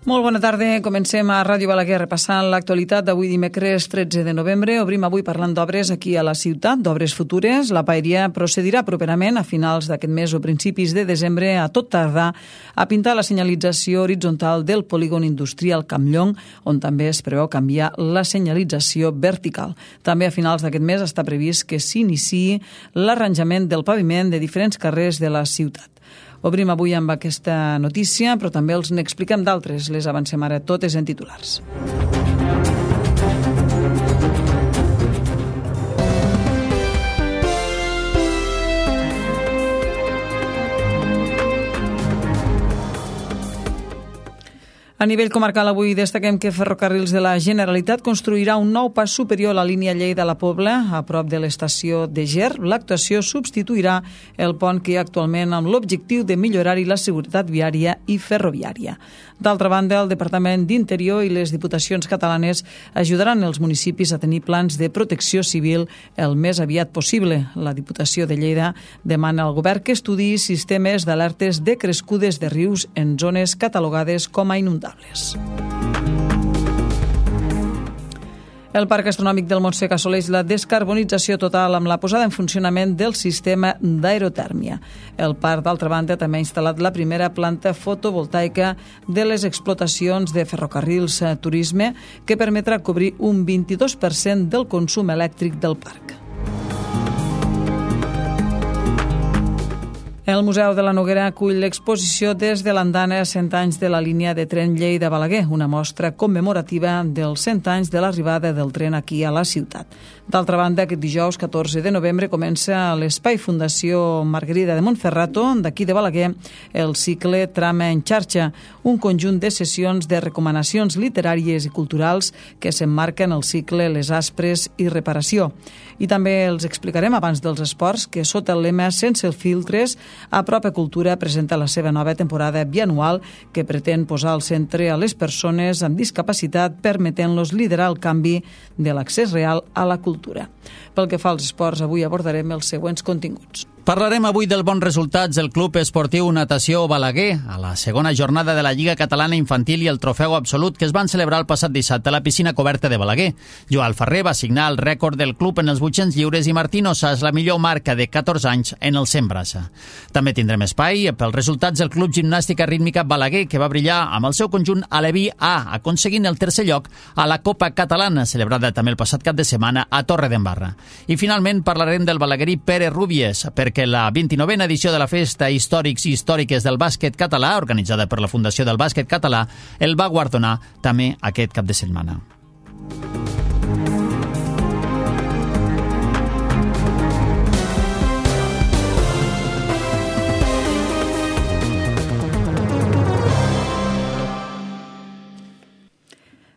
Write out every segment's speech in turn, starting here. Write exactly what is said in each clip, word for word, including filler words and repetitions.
Molt bona tarda. Comencem a Ràdio Balaguer repassant l'actualitat d'avui dimecres tretze de novembre. Obrim avui parlant d'obres aquí a la ciutat, d'obres futures. La paeria procedirà properament a finals d'aquest mes o principis de desembre a tot tardar a pintar la senyalització horitzontal del polígon industrial Campllong, on també es preveu canviar la senyalització vertical. També a finals d'aquest mes està previst que s'iniciï l'arranjament del paviment de diferents carrers de la ciutat. Obrim avui amb aquesta notícia, però també els n'expliquem d'altres. Les avancem ara totes en titulars. A nivell comarcal, avui destaquem que Ferrocarrils de la Generalitat construirà un nou pas superior a la línia Lleida-La Pobla, a prop de l'estació de Ger. L'actuació substituirà el pont que hi ha actualment amb l'objectiu de millorar-hi la seguretat viària i ferroviària. D'altra banda, el Departament d'Interior i les Diputacions catalanes ajudaran els municipis a tenir plans de protecció civil el més aviat possible. La Diputació de Lleida demana al govern que estudiï sistemes d'alertes de crescudes de rius en zones catalogades com a inundables. El Parc Astronòmic del Montsec assoleix la descarbonització total amb la posada en funcionament del sistema d'aerotèrmia. El parc, d'altra banda, també ha instal·lat la primera planta fotovoltaica de les explotacions de Ferrocarrils Turisme, que permetrà cobrir un vint-i-dos per cent del consum elèctric del parc. El Museu de la Noguera acull l'exposició Des de l'andana a cent anys de la línia de tren Lleida-Balaguer, una mostra commemorativa dels cent anys de l'arribada del tren aquí a la ciutat. D'altra banda, aquest dijous catorze de novembre comença a l'Espai Fundació Margarida de Montferrato, d'aquí de Balaguer, el cicle Trama en xarxa, un conjunt de sessions de recomanacions literàries i culturals que s'emmarquen en el cicle Les Aspres i Reparació. I també els explicarem abans dels esports que sota el lema Sense filtres, Apropa Cultura presenta la seva nova temporada bianual que pretén posar al centre a les persones amb discapacitat, permetent-los liderar el canvi de l'accés real a la cultura. Pel que fa als esports, avui abordarem els següents continguts. Parlarem avui del bons resultats del Club Esportiu Natació Balaguer a la segona jornada de la Lliga Catalana Infantil i el Trofeu Absolut que es van celebrar el passat dissabte a la piscina coberta de Balaguer. Joan Ferrer va signar el rècord del club en els vuit-cents lliures i Martín Ossas la millor marca de catorze anys en el cent braça. També tindrem espai pels resultats del Club Gimnàstica Rítmica Balaguer, que va brillar amb el seu conjunt Aleví A, aconseguint el tercer lloc a la Copa Catalana, celebrada també el passat cap de setmana a Torredembarra. I finalment parlarem del balaguerí Pere Rúbies, perquè la vint-i-novena edició de la Festa Històrics i Històriques del Bàsquet Català, organitzada per la Fundació del Bàsquet Català, el va guardonar també aquest cap de setmana.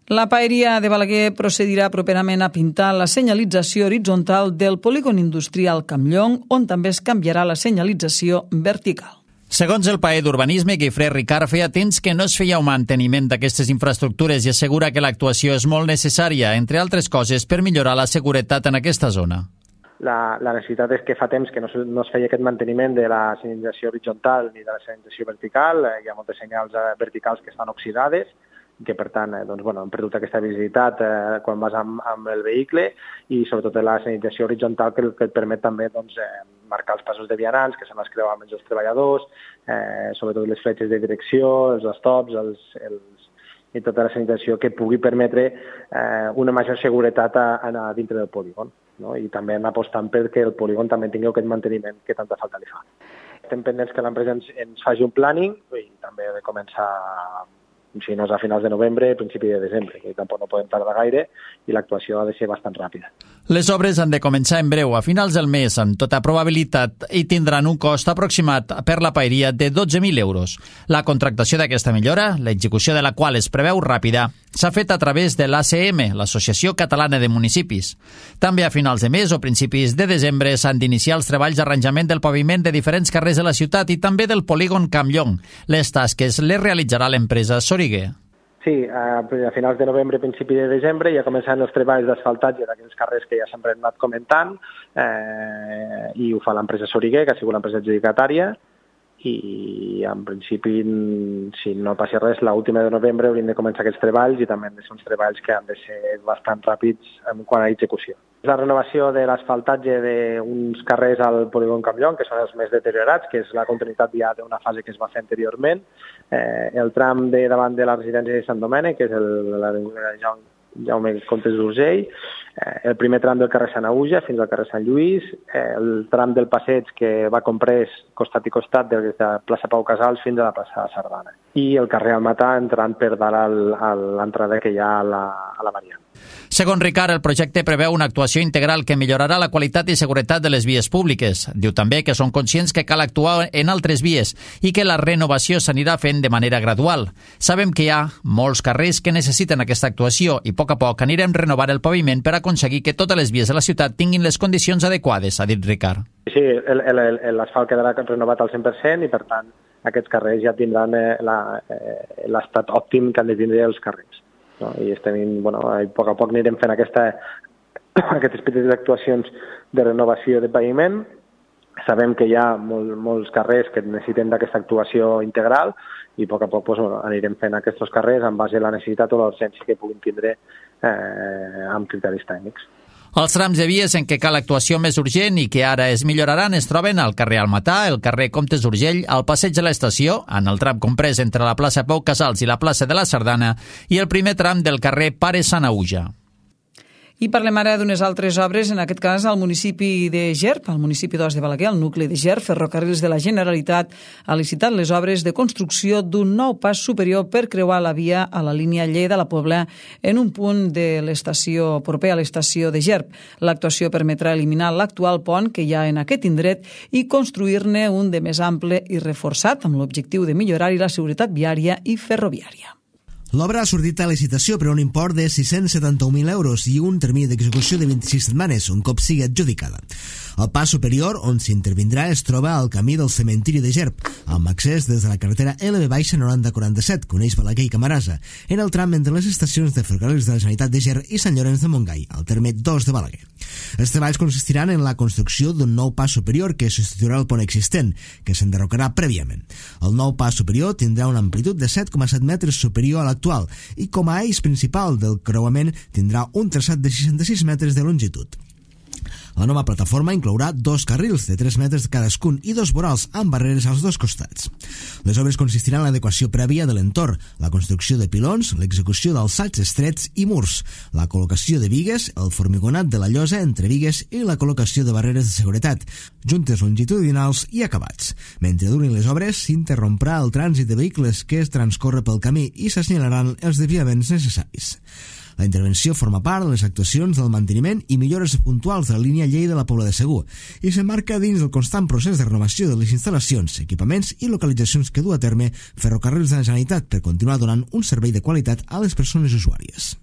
La paeria de Balaguer procedirà properament a pintar la senyalització horitzontal del polígon industrial Campllong, on també es canviarà la senyalització vertical. Segons el paer d'Urbanisme, Guifré Ricard, feia temps que no es feia un manteniment d'aquestes infraestructures i assegura que l'actuació és molt necessària, entre altres coses, per millorar la seguretat en aquesta zona. La, la necessitat és que fa temps que no, no es feia aquest manteniment de la senyalització horitzontal ni de la senyalització vertical. Hi ha moltes senyals verticals que estan oxidades, que per tant eh, doncs, bueno, hem perdut aquesta visibilitat eh, quan vas amb, amb el vehicle, i sobretot la senyalització horitzontal que, que et permet també doncs, eh, marcar els passos de vianants, que se n'es creuen menys els treballadors, eh, sobretot les fletxes de direcció, els stops, els, els, i tota la senyalització que pugui permetre eh, una major seguretat a, a dintre del polígon. No? I també anar apostant perquè el polígon també tingui aquest manteniment que tanta falta li fa. Estem pendents que l'empresa ens, ens faci un planning i també de començar si no és a finals de novembre, principi de desembre, que tampoc no podem tardar gaire i l'actuació ha de ser bastant ràpida. Les obres han de començar en breu, a finals del mes, amb tota probabilitat, i tindran un cost aproximat per la paeria de dotze mil euros. La contractació d'aquesta millora, l'execució de la qual es preveu ràpida, s'ha fet a través de l'A C M, l'Associació Catalana de Municipis. També a finals de mes o principis de desembre s'han d'iniciar els treballs d'arranjament del paviment de diferents carrers de la ciutat i també del polígon Campllong. Les tasques les realitzarà l'empresa Soriguer. Sí, a finals de novembre, principi de desembre, ja començaran els treballs d'asfaltatge d'aquells carrers que ja sempre hem anat comentant, eh, i ho fa l'empresa Soriguer, que ha sigut l'empresa adjudicatària, i en principi, si no passi res, l'última de novembre hauríem de començar aquests treballs i també han de ser uns treballs que han de ser bastant ràpids en quant a execució. La renovació de l'asfaltatge d'uns carrers al polígon Campllong, que són els més deteriorats, que és la continuïtat ja d'una fase que es va fer anteriorment, eh, el tram de davant de la residència de Sant Domènec, que és el, l'avinguda Jaume Comtes d'Urgell, el primer tram del carrer Sant Auja fins al carrer Sant Lluís, el tram del passeig que va comprès costat i costat des de la plaça Pau Casals fins a la plaça Sardana. I el carrer Almatà entrant per dalt a l'entrada que hi ha a la, a la variant. Segons Ricard, el projecte preveu una actuació integral que millorarà la qualitat i seguretat de les vies públiques. Diu també que són conscients que cal actuar en altres vies i que la renovació s'anirà fent de manera gradual. Sabem que hi ha molts carrers que necessiten aquesta actuació i a poc a poc anirem renovant el paviment per aconseguir que totes les vies de la ciutat tinguin les condicions adequades, ha dit Ricard. Sí, l'asfalt quedarà renovat al cent per cent i, per tant, aquests carrers ja tindran l'estat òptim que han de tindre els carrers. No? I estem, bueno, a poc a poc anirem fent aquesta, aquestes petites actuacions de renovació de paviment. Sabem que hi ha molt, molts carrers que necessiten d'aquesta actuació integral i a poc a poc pues, bueno, anirem fent aquests carrers en base a la necessitat o l'urgència que puguin tindre eh, amb criteris tècnics. Els trams de vies en què cal actuació més urgent i que ara es milloraran es troben al carrer Almatà, el carrer Comtes d'Urgell, al passeig de l'Estació, en el tram comprès entre la plaça Pau Casals i la plaça de la Sardana i el primer tram del carrer Pare Sant Auja. I parlem ara d'unes altres obres, en aquest cas al municipi de Gerp, al municipi d'Os de Balaguer, al nucli de Gerp. Ferrocarrils de la Generalitat ha licitat les obres de construcció d'un nou pas superior per creuar la via a la línia Lleida-La Pobla en un punt de l'estació proper a l'estació de Gerp. L'actuació permetrà eliminar l'actual pont que hi ha en aquest indret i construir-ne un de més ample i reforçat amb l'objectiu de millorar-hi la seguretat viària i ferroviària. L'obra ha sortit a licitació per un import de sis-cents setanta-un mil euros i un termini d'execució de vint-i-sis setmanes, un cop sigui adjudicada. El pas superior, on s'intervindrà, es troba al camí del cementiri de Gerp, amb accés des de la carretera L B noranta quaranta-set, que uneix Balaguer i Camarasa, en el tram entre les estacions de Ferrocarrils de la Generalitat de Ger i Sant Llorenç de Montgai, al terme dos de Balaguer. Els treballs consistiran en la construcció d'un nou pas superior que substituirà el pont existent, que s'enderrocarà prèviament. El nou pas superior tindrà una amplitud de set coma set metres superior a l'actual i com a eix principal del creuament tindrà un traçat de seixanta-sis metres de longitud. La nova plataforma inclourà dos carrils de tres metres cadascun i dos vorals amb barreres als dos costats. Les obres consistiran en l'adequació prèvia de l'entorn, la construcció de pilons, l'execució d'alçats estrets i murs, la col·locació de bigues, el formigonat de la llosa entre bigues i la col·locació de barreres de seguretat, juntes longitudinals i acabats. Mentre durin les obres, s'interromprà el trànsit de vehicles que es transcorre pel camí i s'assenyalaran els desviaments necessaris. La intervenció forma part de les actuacions del manteniment i millores puntuals de la línia Lleida-La Pobla de Segur i s'emmarca dins del constant procés de renovació de les instal·lacions, equipaments i localitzacions que du a terme Ferrocarrils de la Generalitat per continuar donant un servei de qualitat a les persones usuàries.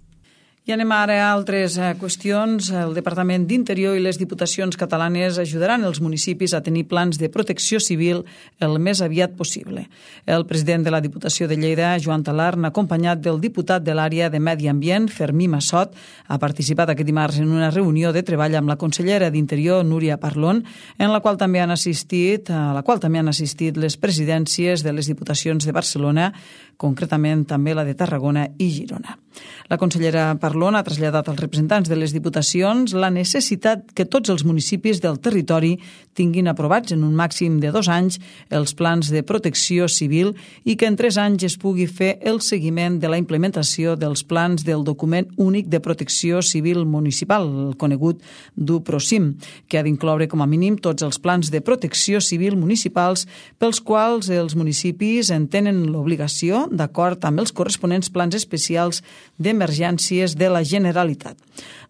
I anem ara a altres qüestions. El Departament d'Interior i les Diputacions catalanes ajudaran els municipis a tenir plans de protecció civil el més aviat possible. El president de la Diputació de Lleida, Joan Talarn, acompanyat del diputat de l'àrea de Medi Ambient, Fermí Massot, ha participat aquest dimarts en una reunió de treball amb la consellera d'Interior, Núria Parlon, en la qual també han assistit, a la qual també han assistit les presidències de les Diputacions de Barcelona, concretament també la de Tarragona i Girona. La consellera Parlon ha traslladat als representants de les diputacions la necessitat que tots els municipis del territori tinguin aprovats en un màxim de dos anys els plans de protecció civil i que en tres anys es pugui fer el seguiment de la implementació dels plans del document únic de protecció civil municipal, el conegut DUPROCIM, que ha d'incloure com a mínim tots els plans de protecció civil municipals pels quals els municipis en tenen l'obligació d'acord amb els corresponents plans especials d'emergències de la Generalitat.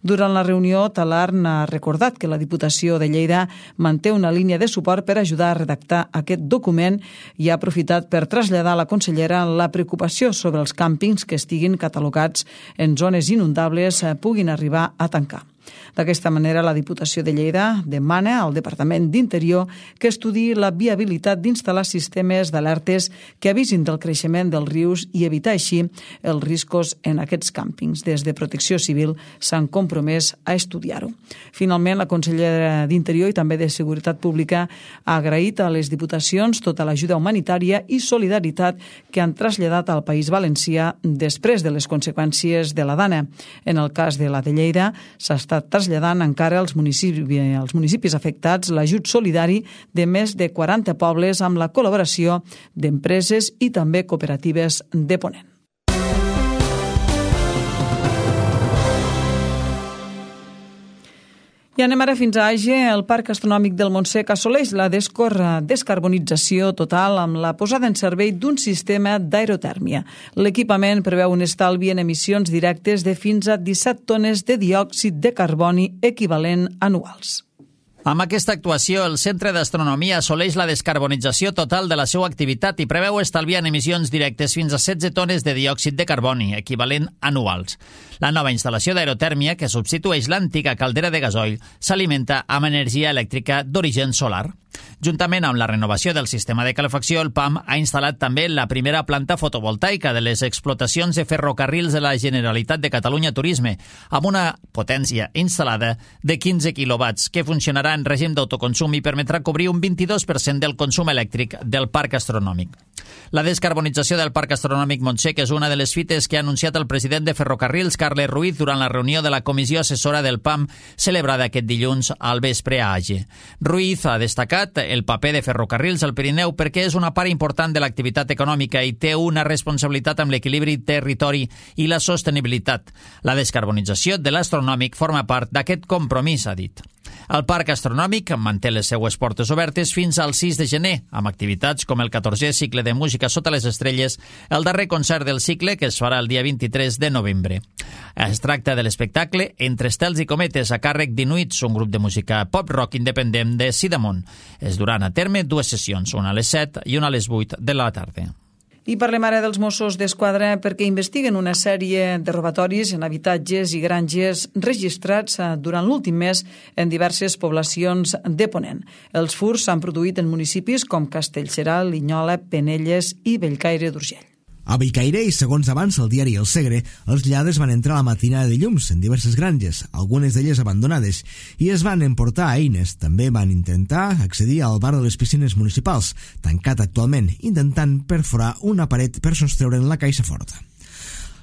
Durant la reunió, Talarn ha recordat que la Diputació de Lleida manté una línia de suport per ajudar a redactar aquest document i ha aprofitat per traslladar a la consellera la preocupació sobre els càmpings que estiguin catalogats en zones inundables puguin arribar a tancar. D'aquesta manera, la Diputació de Lleida demana al Departament d'Interior que estudiï la viabilitat d'instal·lar sistemes d'alertes que avisin del creixement dels rius i evitar així els riscos en aquests càmpings. Des de Protecció Civil s'han compromès a estudiar-ho. Finalment, la consellera d'Interior i també de Seguretat Pública ha agraït a les diputacions tota l'ajuda humanitària i solidaritat que han traslladat al País Valencià després de les conseqüències de la Dana. En el cas de la de Lleida, s'ha estat traslladant encara als municipis, als municipis afectats l'ajut solidari de més de quaranta pobles amb la col·laboració d'empreses i també cooperatives de Ponent. I anem ara fins a Age. El Parc Astronòmic del Montsec assoleix la descarbonització total amb la posada en servei d'un sistema d'aerotèrmia. L'equipament preveu un estalvi en emissions directes de fins a disset tones de diòxid de carboni equivalent anuals. Amb aquesta actuació, el Centre d'Astronomia assoleix la descarbonització total de la seva activitat i preveu estalviar en emissions directes fins a setze tones de diòxid de carboni, equivalent anuals. La nova instal·lació d'aerotèrmia, que substitueix l'antiga caldera de gasoil, s'alimenta amb energia elèctrica d'origen solar. Juntament amb la renovació del sistema de calefacció, el P A M ha instal·lat també la primera planta fotovoltaica de les explotacions de ferrocarrils de la Generalitat de Catalunya Turisme, amb una potència instal·lada de quinze quilowatts, que funcionarà en règim d'autoconsum i permetrà cobrir un vint-i-dos per cent del consum elèctric del parc astronòmic. La descarbonització del Parc Astronòmic Montsec és una de les fites que ha anunciat el president de Ferrocarrils, Carles Ruiz, durant la reunió de la comissió assessora del P A M celebrada aquest dilluns al vespre a Age. Ruiz ha destacat el paper de Ferrocarrils al Pirineu perquè és una part important de l'activitat econòmica i té una responsabilitat amb l'equilibri territori i la sostenibilitat. La descarbonització de l'astronòmic forma part d'aquest compromís, ha dit. El Parc Astronòmic manté les seues portes obertes fins al sis de gener, amb activitats com el catorzè cicle de música sota les estrelles, el darrer concert del cicle, que es farà el dia vint-i-tres de novembre. Es tracta de l'espectacle Entre estels i cometes, a càrrec d'Inuits, un grup de música pop-rock independent de Sidamon. Es duran a terme dues sessions, una a les set i una a les vuit de la tarda. I parlem ara dels Mossos d'Esquadra perquè investiguen una sèrie de robatoris en habitatges i granges registrats durant l'últim mes en diverses poblacions de Ponent. Els furts s'han produït en municipis com Castellserà, Linyola, Penelles i Bellcaire d'Urgell. A Bellcaire, i segons avança el diari El Segre, els lladres van entrar a la matinada de llums en diverses granges, algunes d'elles abandonades, i es van emportar eines. També van intentar accedir al bar de les piscines municipals, tancat actualment, intentant perforar una paret per sostreure'n la caixa forta.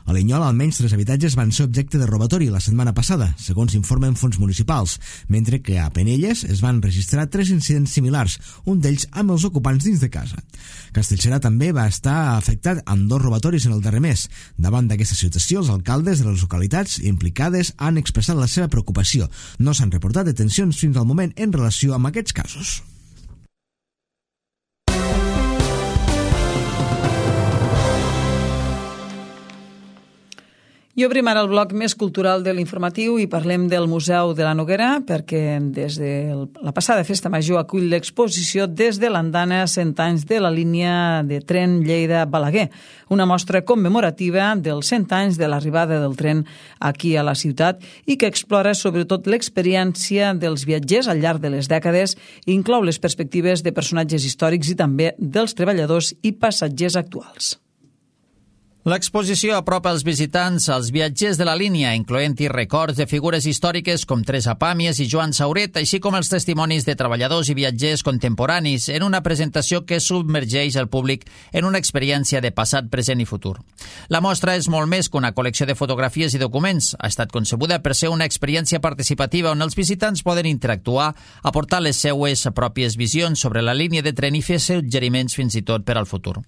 A Linyola, almenys tres habitatges van ser objecte de robatori la setmana passada, segons informen fons municipals, mentre que a Penelles es van registrar tres incidents similars, un d'ells amb els ocupants dins de casa. Castellserà també va estar afectat amb dos robatoris en el darrer mes. Davant d'aquesta situació, els alcaldes de les localitats implicades han expressat la seva preocupació. No s'han reportat detencions fins al moment en relació amb aquests casos. I obrim ara el bloc més cultural de l'informatiu i parlem del Museu de la Noguera perquè des de la passada festa major acull l'exposició Des de l'Andana, cent anys de la línia de tren Lleida-Balaguer, una mostra commemorativa dels cent anys de l'arribada del tren aquí a la ciutat i que explora sobretot l'experiència dels viatgers al llarg de les dècades i inclou les perspectives de personatges històrics i també dels treballadors i passatgers actuals. L'exposició apropa els visitants als viatgers de la línia, incloent-hi records de figures històriques com Teresa Pàmies i Joan Sauret, així com els testimonis de treballadors i viatgers contemporanis, en una presentació que submergeix el públic en una experiència de passat, present i futur. La mostra és molt més que una col·lecció de fotografies i documents. Ha estat concebuda per ser una experiència participativa on els visitants poden interactuar, aportar les seues pròpies visions sobre la línia de tren i fer suggeriments fins i tot per al futur.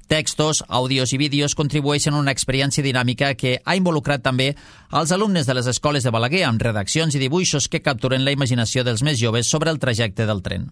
Textos, àudios i vídeos contribueixen a una experiència dinàmica que ha involucrat també als alumnes de les escoles de Balaguer amb redaccions i dibuixos que capturen la imaginació dels més joves sobre el trajecte del tren.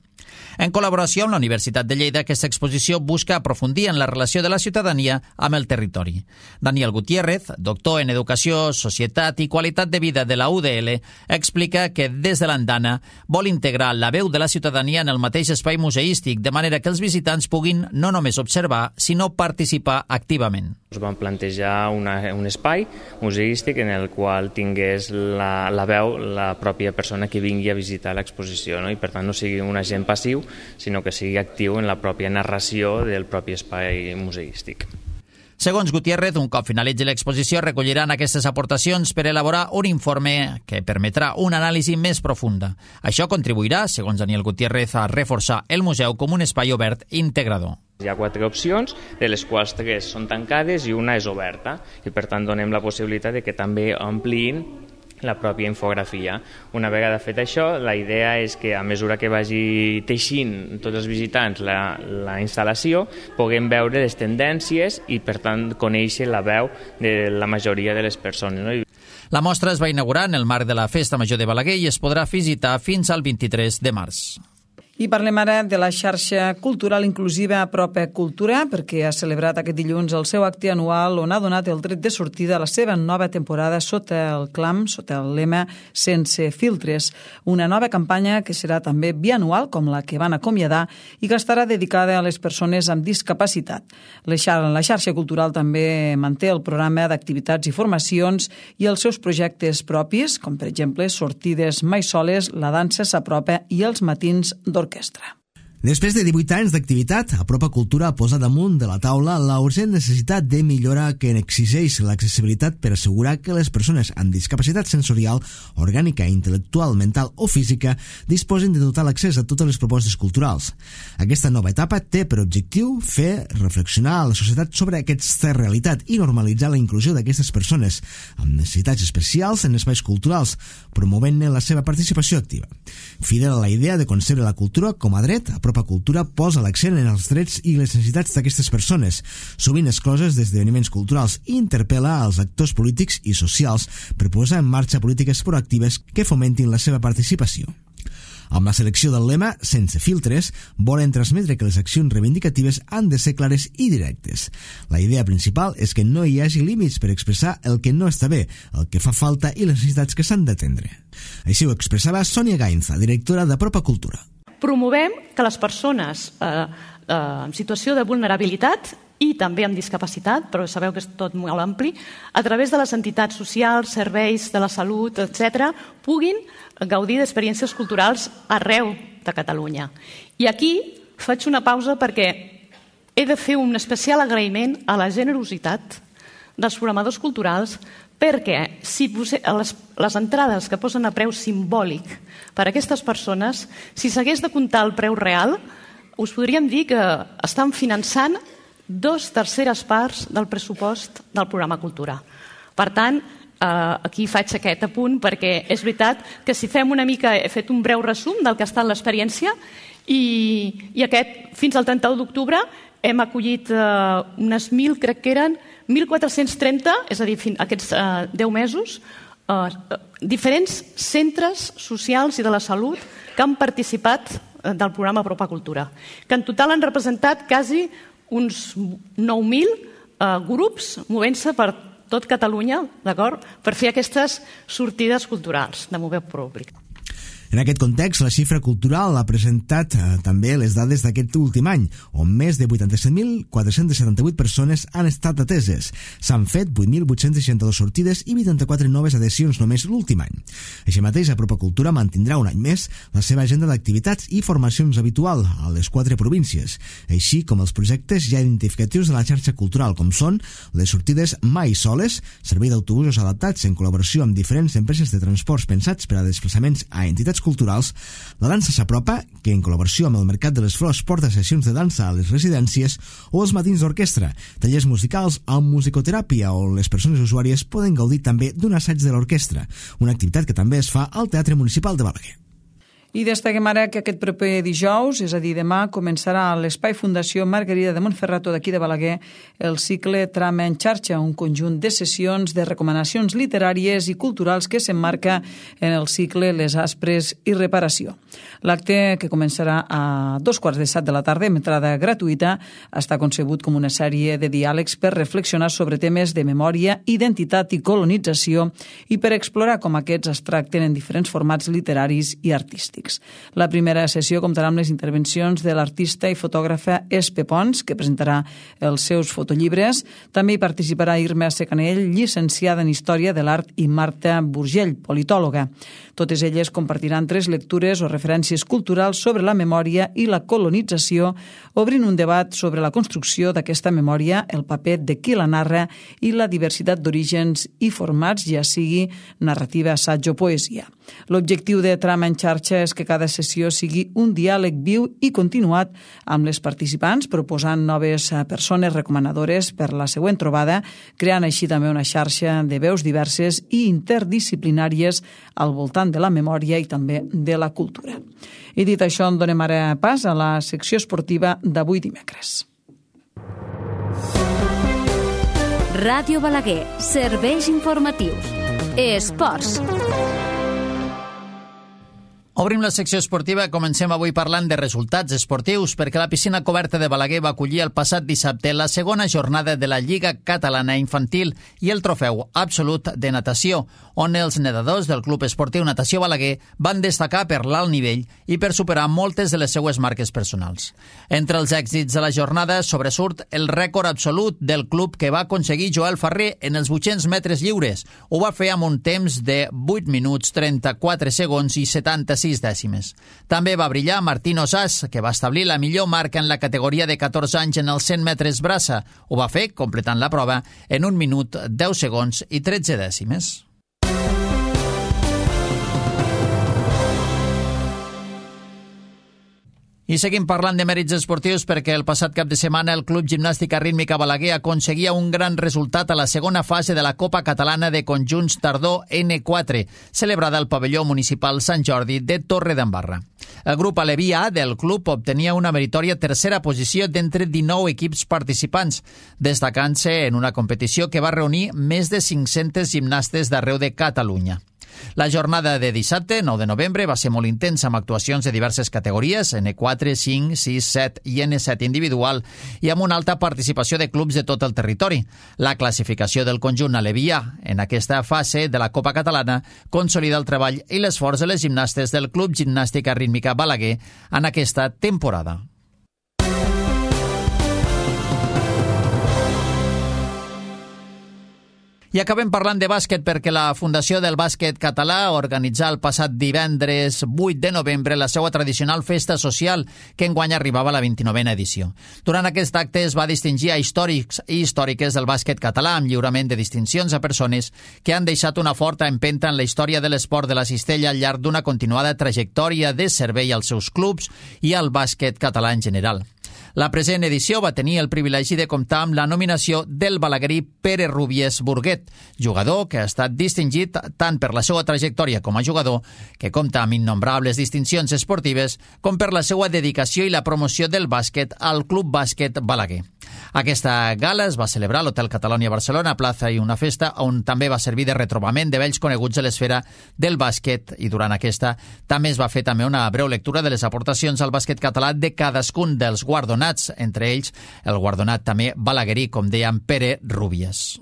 En col·laboració amb la Universitat de Lleida, aquesta exposició busca aprofundir en la relació de la ciutadania amb el territori. Daniel Gutiérrez, doctor en Educació, Societat i Qualitat de Vida de la U D L, explica que des de l'Andana vol integrar la veu de la ciutadania en el mateix espai museístic, de manera que els visitants puguin no només observar, sinó participar activament. Ens vam plantejar una, un espai museístic en el qual tingués la, la veu la pròpia persona que vingui a visitar l'exposició, no? I per tant no sigui un agent passiu, sinó que sigui actiu en la pròpia narració del propi espai museístic. Segons Gutiérrez, un cop finalitzi l'exposició, recolliran aquestes aportacions per elaborar un informe que permetrà una anàlisi més profunda. Això contribuirà, segons Daniel Gutiérrez, a reforçar el museu com un espai obert i integrador. Hi ha quatre opcions, de les quals tres són tancades i una és oberta, i per tant donem la possibilitat de que també ampliïn la pròpia infografia. Una vegada fet això, la idea és que a mesura que vagi teixint tots els visitants la, la instal·lació, puguem veure les tendències i per tant conèixer la veu de la majoria de les persones, no? La mostra es va inaugurar en el marc de la Festa Major de Balaguer i es podrà visitar fins al vint-i-tres de març. I parlem ara de la xarxa cultural inclusiva Apropa Cultura, perquè ha celebrat aquest dilluns el seu acte anual on ha donat el tret de sortida a la seva nova temporada sota el clam, sota el lema Sense filtres, una nova campanya que serà també bianual, com la que van acomiadar, i que estarà dedicada a les persones amb discapacitat. La xarxa cultural també manté el programa d'activitats i formacions i els seus projectes propis, com per exemple sortides mai soles, la dansa s'apropa i els matins d'orquestra. Orquestra. Després de divuit anys d'activitat, Apropa Cultura posa damunt de la taula la urgent necessitat de millora que exigeix l'accessibilitat per assegurar que les persones amb discapacitat sensorial, orgànica, intel·lectual, mental o física disposin de total accés a totes les propostes culturals. Aquesta nova etapa té per objectiu fer reflexionar a la societat sobre aquesta realitat i normalitzar la inclusió d'aquestes persones amb necessitats especials en espais culturals, promovent-ne la seva participació activa. Fidel a la idea de concebre la cultura com a dret, Apropa Cultura posa l'accent en els drets i les necessitats d'aquestes persones, sovint excloses d'esdeveniments culturals, i interpel·la als actors polítics i socials per posar en marxa polítiques proactives que fomentin la seva participació. Amb la selecció del lema Sense filtres, volen transmetre que les accions reivindicatives han de ser clares i directes. La idea principal és que no hi hagi límits per expressar el que no està bé, el que fa falta i les necessitats que s'han d'atendre. Així ho expressava Sònia Gainza, directora d'Apropa Cultura. Promovem que les persones eh, eh, en situació de vulnerabilitat i també amb discapacitat, però sabeu que és tot molt ampli, a través de les entitats socials, serveis de la salut, etcètera, puguin gaudir d'experiències culturals arreu de Catalunya. I aquí faig una pausa perquè he de fer un especial agraïment a la generositat dels programadors culturals, perquè si les, les entrades que posen a preu simbòlic per a aquestes persones, si s'hagués de comptar el preu real, us podríem dir que estan finançant dos terceres parts del pressupost del programa Cultura. Per tant, eh, aquí faig aquest apunt perquè és veritat que si fem una mica, he fet un breu resum del que ha estat l'experiència i, i aquest, fins al trenta-u d'octubre, hem acollit eh, unes mil, crec que eren, mil quatre-cents trenta, és a dir, fins aquests eh, deu mesos, eh, diferents centres socials i de la salut que han participat eh, del programa Apropa Cultura, que en total han representat quasi uns nou mil eh, grups movent-se per tot Catalunya, d'acord, per fer aquestes sortides culturals de mover públic. En aquest context, la xifra cultural ha presentat eh, també les dades d'aquest últim any, on més de vuitanta-set mil quatre-cents setanta-vuit persones han estat ateses. S'han fet vuit mil vuit-cents seixanta-dos sortides i vuitanta-quatre noves adhesions només l'últim any. Així mateix, Apropa Cultura mantindrà un any més la seva agenda d'activitats i formacions habitual a les quatre províncies, així com els projectes ja identificatius de la xarxa cultural, com són les sortides Mai Soles, servei d'autobusos adaptats en col·laboració amb diferents empreses de transports pensats per a desplaçaments a entitats culturals, la dansa s'apropa, que en col·laboració amb el Mercat de les Flors porta sessions de dansa a les residències, o els matins d'orquestra, tallers musicals amb musicoteràpia, on les persones usuàries poden gaudir també d'un assaig de l'orquestra, una activitat que també es fa al Teatre Municipal de Balaguer. I destaquem ara que aquest proper dijous, és a dir, demà, començarà a l'Espai Fundació Margarida de Montferrato d'aquí de Balaguer el cicle Trama en xarxa, un conjunt de sessions de recomanacions literàries i culturals que s'emmarca en el cicle Les Aspres i Reparació. L'acte, que començarà a dos quarts de set de la tarda, amb entrada gratuïta, està concebut com una sèrie de diàlegs per reflexionar sobre temes de memòria, identitat i colonització i per explorar com aquests es tracten en diferents formats literaris i artístics. artístics. La primera sessió comptarà amb les intervencions de l'artista i fotògrafa Espe Pons, que presentarà els seus fotollibres. També hi participarà Irma Secanell, llicenciada en Història de l'Art, i Marta Burgell, politòloga. Totes elles compartiran tres lectures o referències culturals sobre la memòria i la colonització, obrint un debat sobre la construcció d'aquesta memòria, el paper de qui la narra i la diversitat d'orígens i formats, ja sigui narrativa, assaig o poesia. L'objectiu de Trama en xarxa és que cada sessió sigui un diàleg viu i continuat amb les participants, proposant noves persones recomanadores per la següent trobada, creant així també una xarxa de veus diverses i interdisciplinàries al voltant de la memòria i també de la cultura. I dit això, en donem ara pas a la secció esportiva d'avui dimecres. Ràdio Balaguer, serveis informatius. Esports. Obrim la secció esportiva i comencem avui parlant de resultats esportius perquè la piscina coberta de Balaguer va acollir el passat dissabte la segona jornada de la Lliga Catalana Infantil i el trofeu absolut de natació, on els nedadors del Club Esportiu Natació Balaguer van destacar per l'alt nivell i per superar moltes de les seues marques personals. Entre els èxits de la jornada sobresurt el rècord absolut del club que va aconseguir Joel Ferrer en els vuit-cents metres lliures. Ho va fer amb un temps de vuit minuts, trenta-quatre segons i setanta-sis dècimes. També va brillar Martín Osàs, que va establir la millor marca en la categoria de catorze anys en els cent metres braça. Ho va fer completant la prova en un minut, deu segons i tretze dècimes. I seguim parlant de mèrits esportius perquè el passat cap de setmana el Club Gimnàstica Rítmica Balaguer aconseguia un gran resultat a la segona fase de la Copa Catalana de Conjunts Tardor ene quatre, celebrada al pavelló municipal Sant Jordi de Torredembarra. El grup aleví A del club obtenia una meritòria tercera posició d'entre dinou equips participants, destacant-se en una competició que va reunir més de cinc-centes gimnastes d'arreu de Catalunya. La jornada de dissabte, nou de novembre, va ser molt intensa amb actuacions de diverses categories, ene quatre, cinc, sis, set i ene set individual, i amb una alta participació de clubs de tot el territori. La classificació del conjunt aleví A en aquesta fase de la Copa Catalana consolida el treball i l'esforç de les gimnastes del Club Gimnàstica Rítmica Balaguer en aquesta temporada. I acabem parlant de bàsquet perquè la Fundació del Bàsquet Català organitzà el passat divendres vuit de novembre la seva tradicional festa social, que enguany arribava a la vint-i-novena edició. Durant aquest acte es va distingir a històrics i històriques del bàsquet català amb lliurament de distincions a persones que han deixat una forta empenta en la història de l'esport de la cistella al llarg d'una continuada trajectòria de servei als seus clubs i al bàsquet català en general. La present edició va tenir el privilegi de comptar amb la nominació del balaguerí Pere Rubies Burguet, jugador que ha estat distingit tant per la seva trajectòria com a jugador, que compta amb innombrables distincions esportives, com per la seva dedicació i la promoció del bàsquet al Club Bàsquet Balaguer. Aquesta gala es va celebrar a l'Hotel Catalònia Barcelona, plaça i una festa on també va servir de retrobament de vells coneguts de l'esfera del bàsquet, i durant aquesta també es va fer també una breu lectura de les aportacions al bàsquet català de cadascun dels guardonats, entre ells el guardonat també balaguerí, com dèiem, Pere Rubies.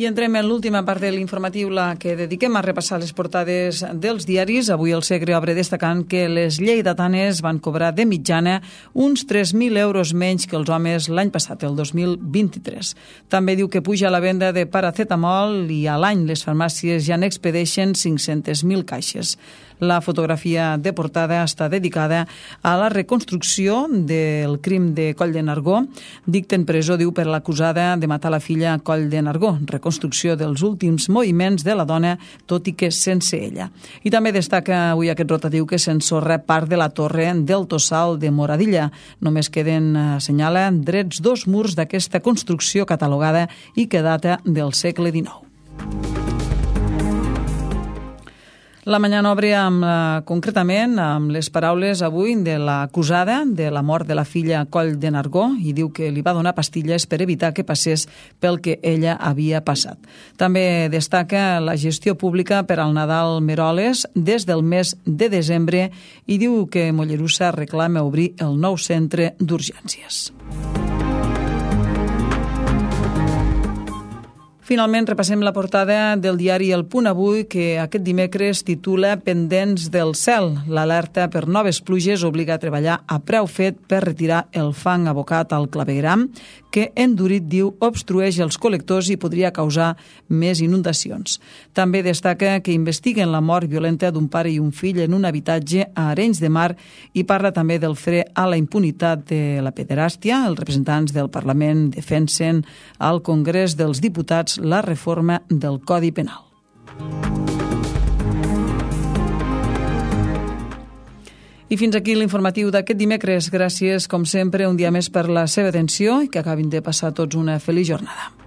I entrem en l'última part de l'informatiu, la que dediquem a repassar les portades dels diaris. Avui el Segre obre destacant que les lleidatanes van cobrar de mitjana uns tres mil euros menys que els homes l'any passat, el dos mil vint-i-tres. També diu que puja la venda de paracetamol i a l'any les farmàcies ja n'expedeixen cinc-centes mil caixes. La fotografia de portada està dedicada a la reconstrucció del crim de Coll de Nargó. Dicten presó, diu, per l'acusada de matar la filla a Coll de Nargó. Reconstrucció dels últims moviments de la dona, tot i que sense ella. I també destaca avui aquest rotatiu que s'ensorra part de la torre del Tossal de Moradilla. Només queden, assenyala, drets dos murs d'aquesta construcció catalogada i que data del segle dinou. La Mañana obre amb, eh, concretament amb les paraules avui de l'acusada de la mort de la filla Coll de Nargó i diu que li va donar pastilles per evitar que passés pel que ella havia passat. També destaca la gestió pública per al Nadal Meroles des del mes de desembre i diu que Mollerussa reclama obrir el nou centre d'urgències. Finalment, repassem la portada del diari El Punt Avui, que aquest dimecres titula Pendents del cel. L'alerta per noves pluges obliga a treballar a preu fet per retirar el fang abocat al clavegueram, que endurit, diu, obstrueix els col·lectors i podria causar més inundacions. També destaca que investiguen la mort violenta d'un pare i un fill en un habitatge a Arenys de Mar i parla també del fre a la impunitat de la pederàstia. Els representants del Parlament defensen al Congrés dels Diputats la reforma del Codi Penal. I fins aquí l'informatiu d'aquest dimecres. Gràcies, com sempre, un dia més per la seva atenció i que acabin de passar tots una feliç jornada.